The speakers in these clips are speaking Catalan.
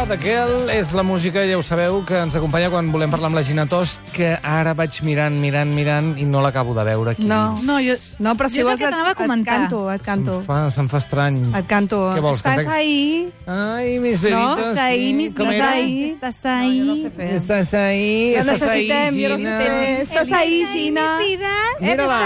The Girl és la música, ja ho sabeu, que ens acompanya quan volem parlar amb la Gina Tost, que ara vaig mirant i no l'acabo de veure aquí. No, però si vols et canto. Se'm fa estrany. Et canto. Què vols? Estàs ahí. Ai, mis bebitos. Estàs ahí, mis bebitos. Estàs ahí. Lo necessitem, jo no sé. Estàs ahí, Gina. Mira-la.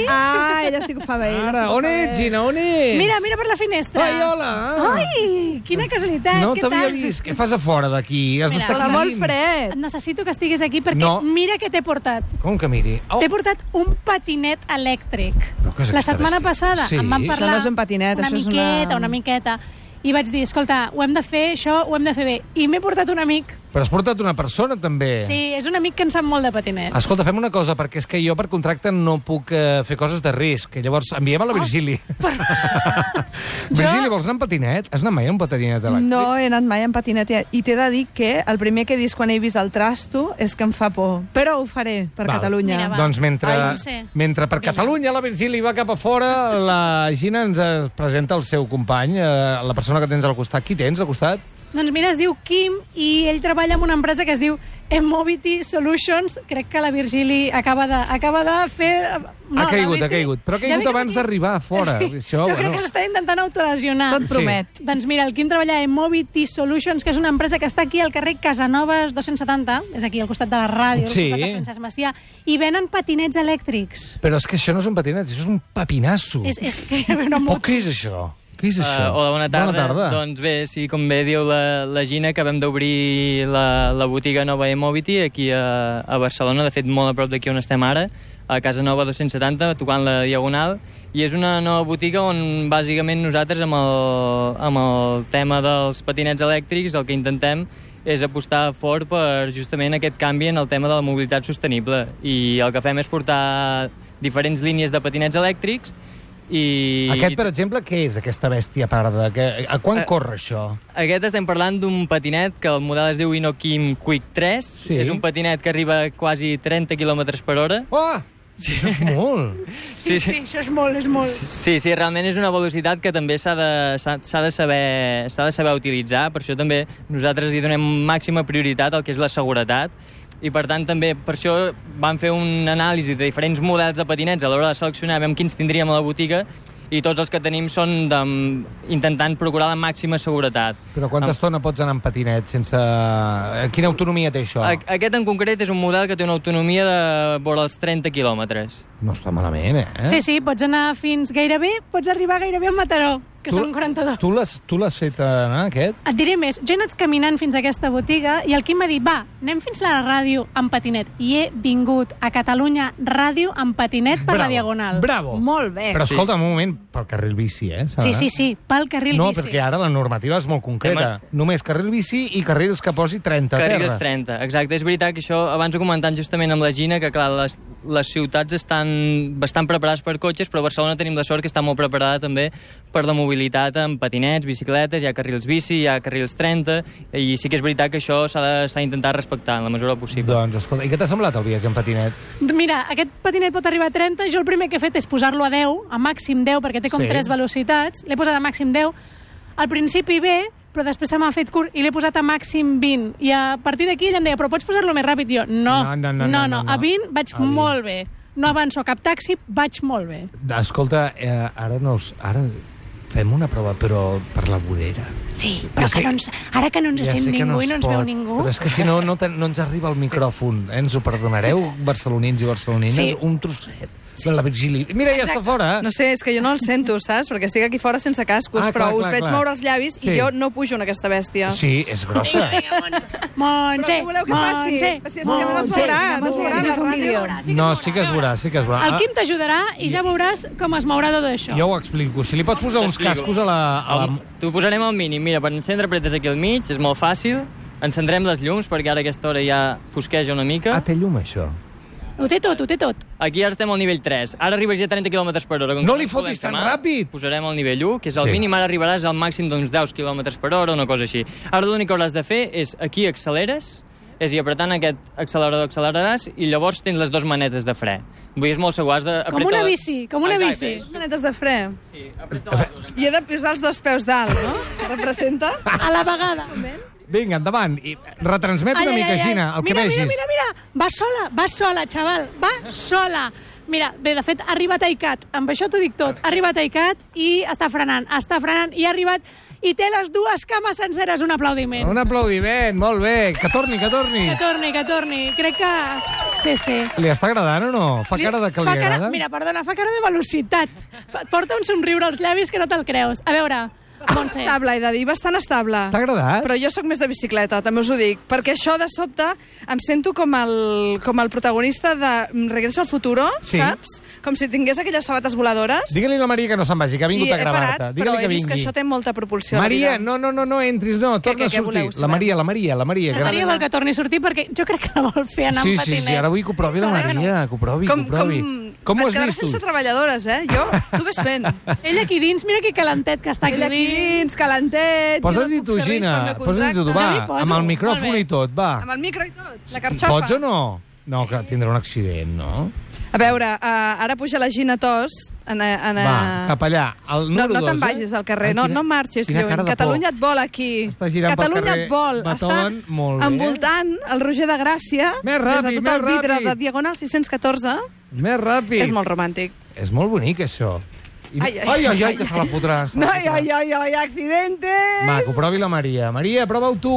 Ah, ella sí que ho fa bé. Ara, on ets, Gina, on ets? Mira per la finestra. Ai, hola. Ai, quina casualitat. No què t'havia tal? vist. Què fas a fora d'aquí? Has d'estar Està aquí molt dins. fred. Necessito que estiguis aquí perquè No. mira què t'he portat. Com que miri? T'he portat un patinet elèctric. Però què és La aquesta setmana bèstia? passada Sí. em van Això parlar no és un patinet, això és una miqueta. I vaig dir, escolta, ho hem de fer, això ho hem de fer bé. I m'he portat un amic. Però has portat una persona, també. Sí, és un amic que en sap molt de patinets. Escolta, fem una cosa, perquè és que jo per contracte no puc fer coses de risc. Llavors, enviem a la Virgili. Virgili, vols anar en patinet? Has anat mai en patinet elèctric? No he anat mai en patinet i t'he de dir que el primer que he vist quan he vist el trasto és que em fa por. Però ho faré per Val. Catalunya. Mira, va. Doncs Ai, no sé. mentre per Catalunya la Virgili va cap a fora, la Gina ens presenta el seu company, la persona que tens al costat. Qui tens al costat? Doncs mira, es diu Quim i ell treballa en una empresa que es diu Emmovity Solutions. Crec que la Virgili acaba de fer... Ha caigut. Però ha caigut abans d'arribar a fora. Sí. Això, Jo crec que s'està intentant autolesionar. Tot promet. Sí. Doncs mira, el Quim treballa a Emmovity Solutions, que és una empresa que està aquí al carrer Casanovas 270, és aquí al costat de la ràdio, Sí. al costat de Francesc Macià, i venen patinets elèctrics. Però és que això no és un patinet, això és un papinasso. És que hi ha una Però moto. què és això? Què és això? Hola, bona tarda. Bona tarda. Doncs bé, sí, com bé diu la Gina, acabem d'obrir la botiga nova Emmovity aquí a Barcelona, de fet molt a prop d'aquí on estem ara, a Casa Nova 270, tocant la Diagonal, i és una nova botiga on bàsicament nosaltres amb el tema dels patinets elèctrics el que intentem és apostar fort per justament aquest canvi en el tema de la mobilitat sostenible, i el que fem és portar diferents línies de patinets elèctrics. Aquest, per exemple, què és, aquesta bèstia parda? A quan corre això? Aquest estem parlant d'un patinet que el model es diu Inokim Quick 3. Sí. És un patinet que arriba a quasi 30 km per hora. Oh! Sí. Això és molt. Sí, això és molt, és molt. Sí, realment és una velocitat que també s'ha de saber utilitzar. Per això també nosaltres hi donem màxima prioritat al que és la seguretat. I per tant també per això vam fer un anàlisi de diferents models de patinets a l'hora de seleccionar, veiem quins tindríem a la botiga, i tots els que tenim són intentant procurar la màxima seguretat. Però quanta estona pots anar en patinet sense... Quina autonomia té això? Aquest en concret és un model que té una autonomia de vora els 30 quilòmetres. No està malament, eh? Sí, pots anar pots arribar gairebé a Mataró, que són 42. Tu l'has fet anar, aquest? Et diré més, jo he anat caminant fins a aquesta botiga i el Quim m'ha dit, va, anem fins a la ràdio amb patinet. I he vingut a Catalunya Ràdio amb patinet per la Diagonal. Bravo! Molt bé. Però escolta, un moment, pel carril bici, eh? Sí, pel carril no, bici. perquè ara la normativa és molt concreta. Només carril bici i carrils que posi 30 a terra. Carrils 30, exacte. És veritat que això, abans ho comentant justament amb la Gina, que clar, les ciutats estan bastant preparades per cotxes, però a Barcelona tenim la sort que està molt preparada també per la mobilitat amb patinets, bicicletes, hi ha carrils bici, hi ha carrils 30, i sí que és veritat que això s'ha d'intentar respectar en la mesura possible. Doncs, escolta, i què t'ha semblat el viatge en patinet? Mira, aquest patinet pot arribar a 30, jo el primer que he fet és posar-lo a 10, a màxim 10, perquè té com 3 velocitats, l'he posat a màxim 10, al principi bé, però després se m'ha fet curt i l'he posat a màxim 20, i a partir d'aquí ella em deia, però pots posar-lo més ràpid? Jo, no, a 20 vaig molt bé, no avanço cap taxi, vaig molt bé. Escolta, ara fem una prova, però per la vorera. Sí, però ara que no ens sent ningú i no ens veu ningú... Però és que si no ens arriba el micròfon. Ens ho perdonareu, barcelonins i barcelonines? Sí. Un trosset de la Virgili. Mira, ja està fora. No sé, és que jo no el sento, saps? Perquè estic aquí fora sense cascos, però us veig moure els llavis i jo no pujo en aquesta bèstia. Sí, és grossa. Montse, què voleu que faci? Si és que no es veurà, no es veurà la ràdio. No, sí que es veurà, sí que es veurà. El Quim t'ajudarà i ja veuràs com es mourà tot això. Jo ho explico. Si li pots posar uns cascos a la... T'ho posarem al mínim. Mira, per encendre apretes aquí al mig, és molt fàcil. Encendrem les llums, perquè ara a aquesta hora ja fosqueja una mica. Ah, té llum, això. Ho té tot. Aquí ara estem al nivell 3. Ara arribes ja a 30 km per hora. No li fotis tan ràpid! Posarem el nivell 1, que és el mínim. Ara arribaràs al màxim d'uns 10 km per hora, una cosa així. Ara l'únic que hauràs de fer és aquí acceleres, és a dir, apretant aquest accelerador acceleraràs i llavors tens les dues manetes de fre. Vull dir, és molt segur, has de... Com una bici. Manetes de fre. Sí, apreta les dues. I he de posar els dos peus dalt, no? Representa? A la vegada. Vinga, endavant. I retransmet una mica, Gina, el que vegis. Mira. Va sola, xaval. Va sola. Mira, bé, de fet, ha arribat a ICAT. Amb això t'ho dic tot. Ha arribat a ICAT i està frenant. I ha arribat i té les dues cames senceres. Un aplaudiment. Un aplaudiment, molt bé. Que torni. Que torni. Crec que... Sí. Li està agradant o no? Fa cara de que li agrada? Mira, perdona, fa cara de velocitat. Porta un somriure als llavis que no te'l creus. A veure... Estable, he de dir, bastant estable. T'ha agradat? Però jo sóc més de bicicleta, també us ho dic. Perquè això, de sobte, em sento com el protagonista de Regreso al Futuro, saps? Com si tingués aquelles sabates voladores. Digue-li a la Maria que no se'n vagi, que ha vingut a gravar-te. Però he vist que això té molta propulsió. Maria, no entris, no, torna a sortir. La Maria. La Maria vol que torni a sortir perquè jo crec que la vol fer anar amb patinet. Sí, ara vull que ho provi la Maria, que ho provi. Com ho has vist tu? sense treballadores, jo, tu ves fent. Ell aquí dins, mira que calentet que està aquí dins, calentet. Posa't-hi tu, Gina, posa't-hi tu, va, amb el micròfon i tot, va. Amb el micro i tot, la carxofa. Pots o no? No, que tindrà un accident, no? A veure, ara puja la Gina Tos. Va, cap allà. No te'n vagis al carrer, no marxis lluny. Catalunya et vol aquí. Catalunya et vol. Està envoltant el Roger de Gràcia des de tot el vidre de Diagonal 614. Més ràpid. És molt romàntic. És molt bonic, això. Ai, que se la fotrà. Ai, accidente! Va, que ho provi la Maria. Maria, prova-ho tu.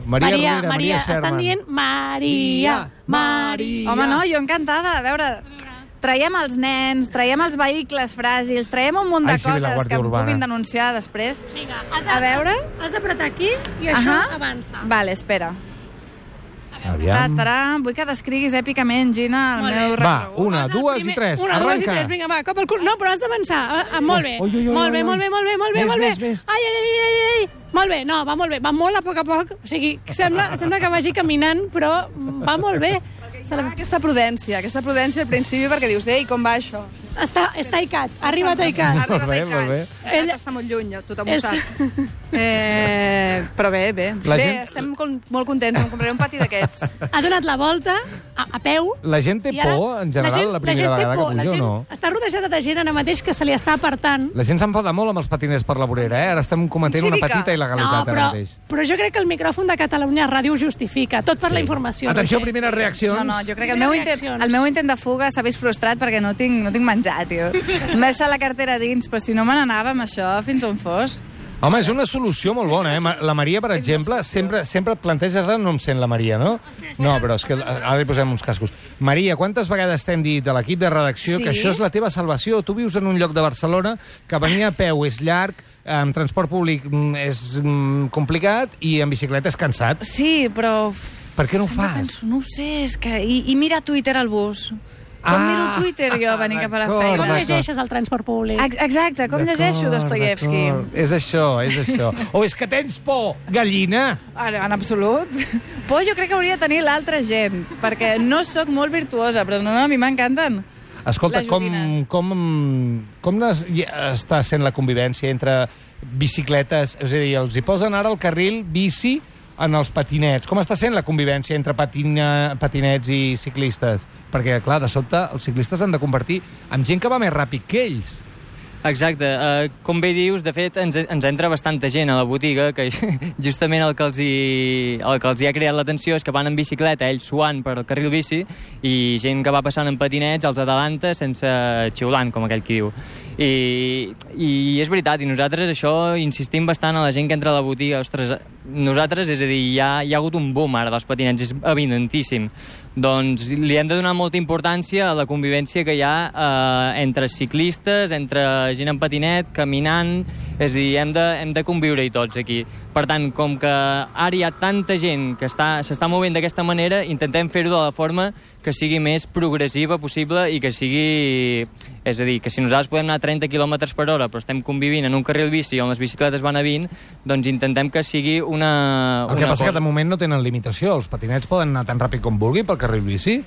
Maria, estan dient Maria. Home, no, jo encantada. A veure, traiem els nens, traiem els vehicles fràgils, traiem un munt de coses que em puguin denunciar després. Vinga, has d'apretar aquí i això avança. Vale, espera. Vull que descriguis èpicament, Gina, el meu recorregut. Va, 1, 2 i 3, arranca. 1, 2 i 3, vinga, va, cop al cul. No, però has d'avançar. Molt bé. Molt bé. Ai. Molt bé, no, va molt bé. Va molt a poc. O sigui, sembla que vagi caminant, però va molt bé. Aquesta prudència al principi, perquè dius, ei, com va això? Està a ICAT, ha arribat a ICAT. Molt bé. Ell està molt lluny, tothom ho sap. Però bé. Bé, estem molt contents, em compraré un pati d'aquests. Ha donat la volta a peu. La gent té por, en general, la primera vegada que puja, o no? Està rodejada de gent ara mateix que se li està apartant. La gent s'enfada molt amb els patiners per la vorera, Ara estem cometent una petita il·legalitat ara mateix. Però jo crec que el micròfon de Catalunya Ràdio ho justifica, tot per la informació. Atenció, primeres reaccions. No, jo crec que el meu intent de fuga s'ha vist frustrat perquè no tinc menjar, tio. M'he deixat la cartera dins, però si no me n'anava amb això fins on fos. Home, és una solució molt bona, La Maria, per exemple, sempre et planteges... Ara no em sent la Maria, no? No, però és que ara li posem uns cascos. Maria, quantes vegades t'hem dit a l'equip de redacció que això és la teva salvació? Tu vius en un lloc de Barcelona que venir a peu és llarg, en transport públic és complicat i en bicicleta és cansat. Sí, però... Per què no ho fas? No ho sé, és que... I mira Twitter al bus. Com miro Twitter jo venir cap a la feina? Com llegeixes el transport públic? Exacte, com llegeixo Dostoyevsky? És això. O és que tens por, gallina? En absolut. Por jo crec que hauria de tenir l'altra gent, perquè no sóc molt virtuosa, però no, a mi m'encanten. Escolta, com està sent la convivència entre bicicletes? És a dir, els hi posen ara el carril bici en els patinets. Com està sent la convivència entre patinets i ciclistes? Perquè, clar, de sobte, els ciclistes han de convertir en gent que va més ràpid que ells. Exacte. Com bé dius, de fet, ens entra bastanta gent a la botiga que justament el que els hi ha creat l'atenció és que van en bicicleta, ells suant per el carril bici, i gent que va passant en patinets els adelanta sense xiulant, com aquell qui diu. I és veritat, i nosaltres això insistim bastant a la gent que entra a la botiga. Ostres, nosaltres, és a dir, hi ha hagut un boom ara dels patinets, és evidentíssim. Doncs li hem de donar molta importància a la convivència que hi ha entre ciclistes, entre gent en patinet, caminant, és a dir, hem de conviure-hi tots aquí. Per tant, com que ara hi ha tanta gent que s'està movent d'aquesta manera, intentem fer-ho de la forma que sigui més progressiva possible i que sigui... És a dir, que si nosaltres podem anar a 30 km per hora però estem convivint en un carril bici on les bicicletes van a 20, doncs intentem que sigui una... El que passa que de moment no tenen limitació. Els patinets poden anar tan ràpid com vulguin pel carril bici?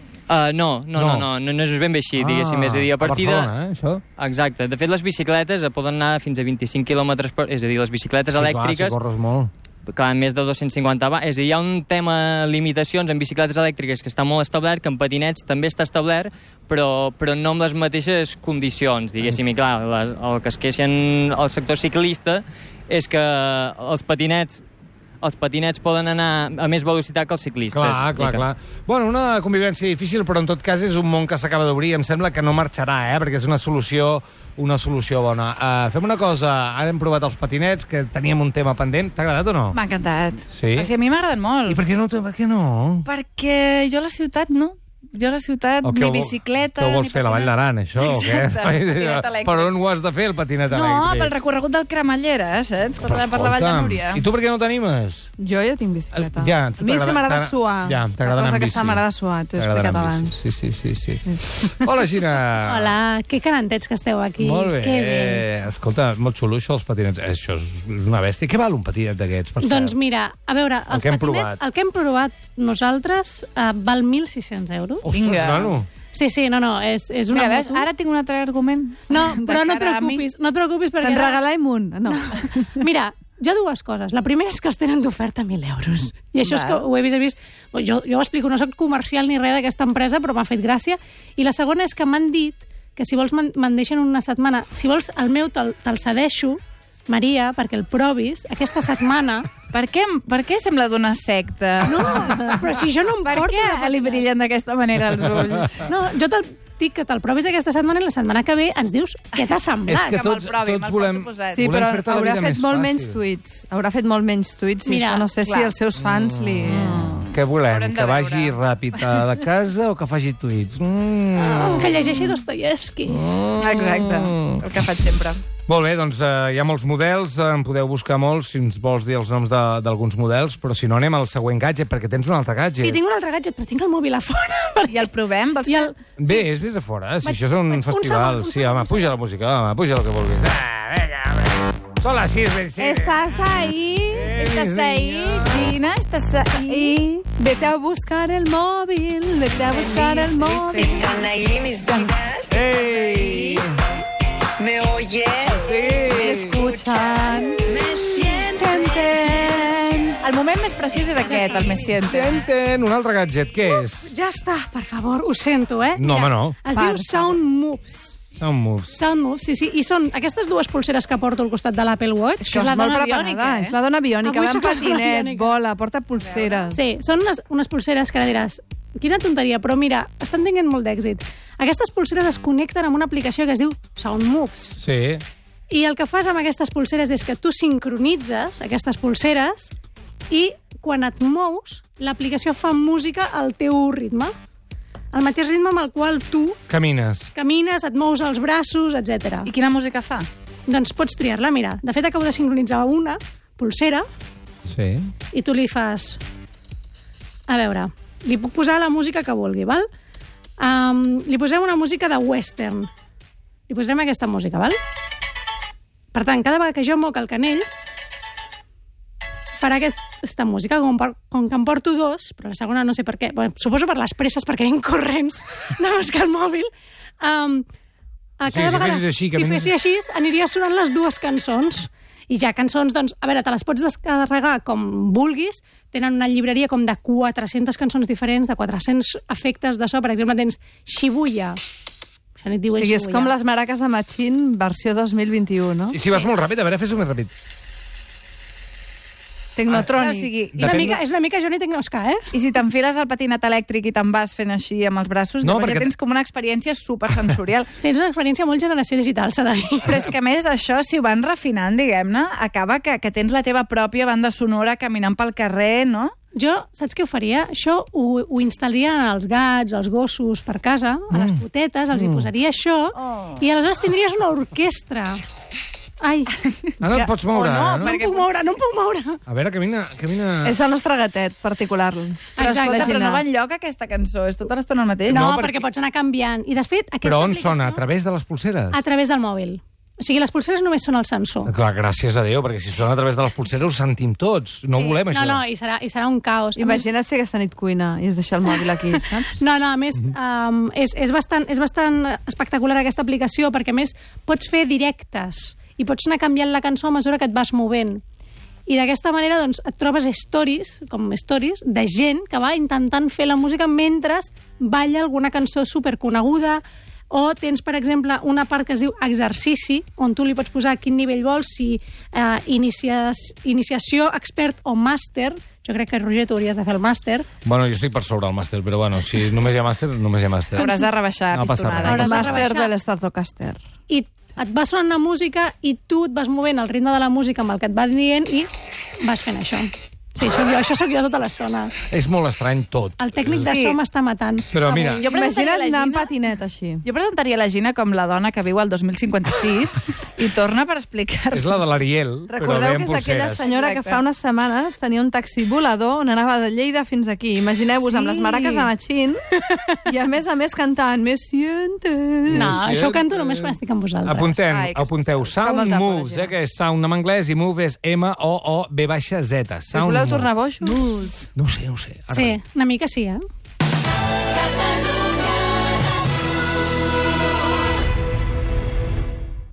No és ben bé així, diguéssim. És a dir, a Barcelona, això? Exacte. De fet, les bicicletes poden anar fins a 25 km per... És a dir, les bicicletes elèctriques... Clar, si corres molt. Clar, més de 250 és a dir, hi ha un tema limitacions en bicicletes elèctriques que està molt establert, que en patinets també està establert, però no amb les mateixes condicions, diguéssim. I clar, el que es queixen el sector ciclista és que els patinets els patinets poden anar a més velocitat que els ciclistes. Clar. Bueno, una convivència difícil, però en tot cas és un món que s'acaba d'obrir. Em sembla que no marxarà, perquè és una solució bona. Fem una cosa, ara hem provat els patinets, que teníem un tema pendent. T'ha agradat o no? M'ha encantat. Sí? O sigui, a mi m'agraden molt. I per què no? Perquè jo a la ciutat no. Jo a la ciutat, ni bicicleta... Què ho vols fer, la Vall d'Aran, això, o què? Per on ho has de fer, el patinet elèctric? No, pel recorregut del Cremallera, saps? Per la Vall de Núria. I tu per què no t'animes? Jo ja tinc bicicleta. A mi és que m'agrada suar. Ja, t'agrada anar amb bici. M'agrada suar, t'ho he explicat abans. Sí. Hola, Gina. Hola, que calentets que esteu aquí. Molt bé. Escolta, molt xulo això, els patinets. Això és una bèstia. Què val un patinet d'aquests, per cert? Doncs mira, a veure, els patinets, el que hem provat nosaltres val 1.600 euros. Ostres, nano. Sí, no, és una moto. Mira, ara tinc un altre argument. No, però no et preocupis perquè... Te'n regalem un. No. Mira, hi ha dues coses. La primera és que els tenen d'oferta 1.000 euros. I això és que ho he vist. Jo ho explico, no soc comercial ni res d'aquesta empresa, però m'ha fet gràcia. I la segona és que m'han dit que si vols me'n deixen una setmana. Si vols el meu te'l cedeixo, Maria, perquè el provis aquesta setmana. Per què sembla d'una secta? No, però si jo no em porto... Per què li brillen d'aquesta manera els ulls? No, jo te'l dic que te'l provis aquesta setmana i la setmana que ve ens dius què t'ha semblat. És que tots volem... Sí, però haurà fet molt menys tuits. Haurà fet molt menys tuits i això no sé si els seus fans li... Què volem? Que vagi ràpid a la casa o que faci tuits? Que llegeixi Dostoyevsky. Exacte, el que faig sempre. Molt bé, doncs hi ha molts models, en podeu buscar molts, si ens vols dir els noms d'alguns models, però si no anem al següent gadget, perquè tens un altre gadget. Sí, tinc un altre gadget, però tinc el mòbil a fora. I el provem? Bé, vés a fora, si això és un festival. Sí, home, puja la música, home, puja el que vulguis. Vinga, són les 6, ben 6. Estás ahí, Gina, estás ahí. Vete a buscar el móvil, Están ahí mis vidas, me oyen, me escuchan, me sienten. El moment més precís és aquest, el me sienten. Un altre gadget, què és? Ja està, per favor, ho sento, No, home, no. Es diu Sound Moves. Sound Moves, sí. I són aquestes dues pulseres que porto al costat de l'Apple Watch. És que és la dona biònica, És la dona biònica, va en patinet, vola, porta pulseres. Sí, són unes pulseres que ara diràs, quina tonteria, però mira, estan tenint molt d'èxit. Aquestes pulseres es connecten amb una aplicació que es diu Sound Moves. Sí. I el que fas amb aquestes pulseres és que tu sincronitzes aquestes pulseres i quan et mous, l'aplicació fa música al teu ritme. El mateix ritme amb el qual tu... Camines, et mous els braços, etc. I quina música fa? Doncs pots triar-la, mira. De fet, acabo de sincronitzar una pulsera i tu li fas... A veure, li puc posar la música que vulgui, val? Li posem una música de western. Li posarem aquesta música, val? Per tant, cada vegada que jo moc el canell, farà aquesta música, com que em porto dos, però la segona no sé per què, suposo per les presses, perquè anem corrents de buscar el mòbil. Si fessis així, aniria sonant les dues cançons. I ja cançons, doncs, a veure, te les pots descarregar com vulguis, tenen una llibreria com de 400 cançons diferents, de 400 efectes de so, per exemple, tens Shibuya. O sigui, és com les maraques de Machín, versió 2021, no? I si vas molt ràpid, a veure, fes-ho més ràpid. Tecnotrònic. És una mica Johnny Tecnosca, I si t'enfiles al patinet elèctric i te'n vas fent així amb els braços, ja tens com una experiència supersensorial. Tens una experiència molt generació digital, s'ha de dir. Però és que a més d'això, si ho van refinant, diguem-ne, acaba que tens la teva pròpia banda sonora caminant pel carrer, no? Jo, saps què ho faria? Això ho instal·laria als gats, als gossos per casa, a les potetes, els hi posaria això, i aleshores tindries una orquestra. Ai. No et pots moure. No em puc moure. A veure, camina... És el nostre gatet particular. Però escolta, però no va enlloc aquesta cançó, és tota l'estona el mateix. No, perquè pots anar canviant. I després, però on sona? A través de les pulseres? A través del mòbil. O sigui, les pulseres només són el sensor. Clar, gràcies a Déu, perquè si sona a través de les pulseres ho sentim tots. No ho volem, això. No, i serà un caos. Imagina't si aquesta nit cuina i es deixa el mòbil aquí, saps? No, a més, és bastant espectacular aquesta aplicació, perquè a més pots fer directes i pots anar canviant la cançó a mesura que et vas movent. I d'aquesta manera doncs, et trobes stories de gent que va intentant fer la música mentre balla alguna cançó superconeguda. O tens, per exemple, una part que es diu exercici, on tu li pots posar quin nivell vols, si iniciació, expert o màster. Jo crec que, Roger, tu hauries de fer el màster. Bueno, jo estic per sobre el màster, però bueno, si només hi ha màster, només hi ha màster. Hauràs de rebaixar pistonada. El màster de l'Stratocaster. I et va sonant una música i tu et vas movent al ritme de la música amb el que et van dient i vas fent això. Sí, això sóc jo tota l'estona. És molt estrany tot. El tècnic de so m'està matant. Però mira... Imagina't anar en patinet així. Jo presentaria la Gina com la dona que viu al 2056 i torna per explicar-nos. És la de l'Ariel, però bé amb pulseres. Recordeu que és aquella senyora que fa unes setmanes tenia un taxi volador on anava de Lleida fins aquí. Imagineu-vos amb les maraques a Machín i a més cantant Me sientes... No, això ho canto només quan estic amb vosaltres. Apunteu Sound Moves, que és sound en anglès i move és M-O-O-V-Z. Us voleu tornar boixos? No ho sé. Sí, una mica sí,